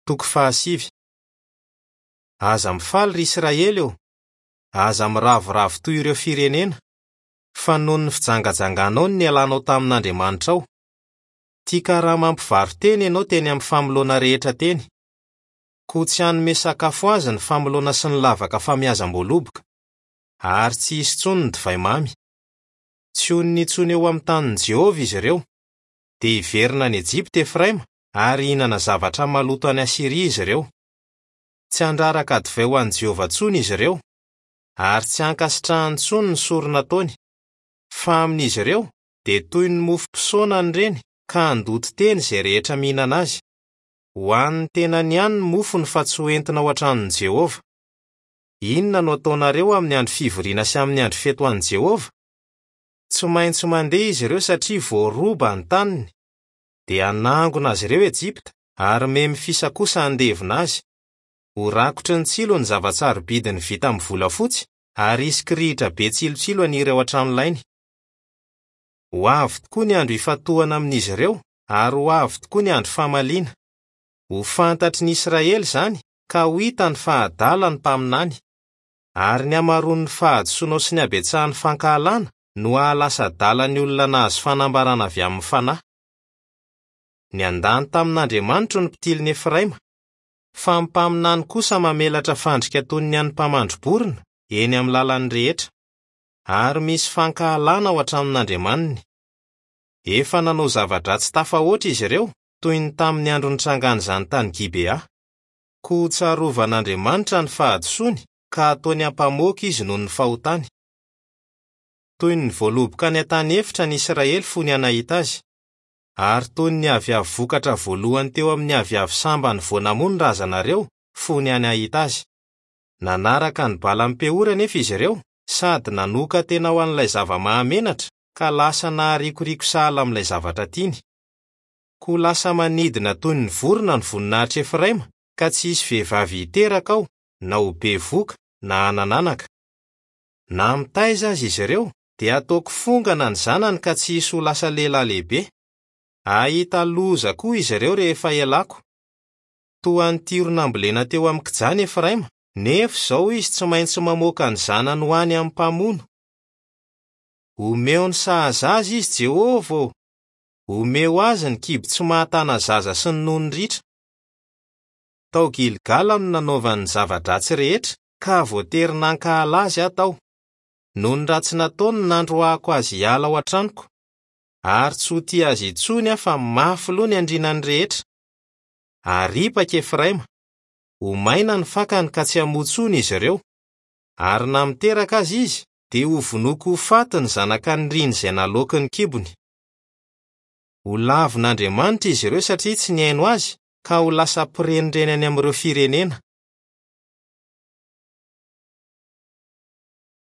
Toko fahasivy. Aza mifaly ry Israely ô! Aza miravoravo toy ireo firenena, fa noho ny fijangajanganao no nialanao tamin'Andriamanitrao. Tia karama mpivaro-tena ianao teny amin'ny famoloana rehetra teny. Koa tsy hanome sakafo azy ny famoloana sy ny lavaka famiazam-boaloboka, ary tsy hisy intsony ny divay mamy. Tsy honina intsony eo amin'ny tanin'i Jehovah izy ireo. Dia hiverina any Ejipta Efraima, ary hihinana zavatra maloto any Asyria izy ireo. Tsy handraraka divay ho an'i Jehovah intsony izy ireo, ary tsy hankasitrahany intsony ny sorona ataony. Fa amin'izy ireo, dia toy ny mofo mpisaonana ireny, ka handoto tena izay rehetra mihinana azy. Ho an'ny tenany ihany ny mofony fa tsy hoentina ao an-tranon'i Jehovah. Inona no ataonareo amin'ny andro fivoriana sy amin'ny andro fety ho an'i Jehovah? Tsy maintsy mandeha izy ireo satria voaroba ny taniny. Dia hanangona azy ireo Ejipta, ary Memfisa kosa handevina azy. Ho rakotry ny tsilo ny zava-tsarobidiny vita amin'ny volafotsy, ary hisy kirihitra be tsilotsilo haniry ao an-tranolainy. Ho avy tokoa ny andro hifantohana amin'izy ireo, ary ho avy tokoa ny andro famaliana. Ho fantatry ny Israely izany, ka ho hitany fa adala ny mpaminany. Ary ny hamaroan'ny fahadisoanao sy ny habetsahan'ny fankahalana no hahalasa adala ny olona nahazo fanambarana avy amin'ny Fanahy. Niandany tamin'Andriamanitro ny mpitilin'i Efraima, fa ny mpaminany kosa mamelatra fandrika toy ny an'ny mpamandri-borona eny amin'ny lalany rehetra. Ary misy fankahalana ao an-tranon'Andriamaniny. Efa nanao zava-dratsy tafahoatra izy ireo, toy ny tamin'ny andro nitrangan'izany tany Gibea. Koa tsarovan'Andriamanitra ny fahadisoany ka ataony ampamoaka izy noho ny fahotany. Toy ny voaloboka any an-tany efitra ny Israely fony aho nahita azy, ary toy ny aviavy vokatra voalohany teo amin'ny aviavy sambany vao namoa ny razanareo fony aho nahita azy. Nanaraka ny balan'i Peora anefa izy ireo sady nanokan-tena ho an'ilay zava-mahamenatra ka lasa naharikoriko sahala amin'ilay zavatra tiany. Koa lasa manidina toy ny vorona ny voninahitr'i Efraima, ka tsy hisy vehivavy hiteraka ao, na ho bevohoka, na hanana anaka. Na mitaiza aza izy ireo, dia hataoko fongana ny zanany ka tsy hisy ho lasa lehilahy lehibe. Hahita loza koa izy ireo rehefa hialako. Toa an'i Tyro nambolena teo amin'ny kijana Efraima, nefa izao izy tsy maintsy mamoaka ny zanany ho any amin'ny mpamono. Omeo ny sahaza azy izy, Jehovah ô! Omeo azy ny kibo tsy mahatana zaza sy ny nono ritra. Tao Gilgala no nanaovany ny zava-dratsy rehetra, ka voatery nankahala azy aho tao. Noho ny ratsy nataony no nandroahako azy hiala ao an-tranoko. Ary tsy ho tia azy intsony aho fa mafy loha ny andrinany rehetra. Aripaka Efraima. Ho maina ny fakany ka tsy hamoa intsony izy ireo. Ary na miteraka aza izy, dia hovonoiko ho faty ny zanaka niriny izay naloaky ny kibony. Ho lavin'Andriamanitra izy ireo satria tsy nihaino azy, ka ho lasa mpirenireny any amin'ireo firenena.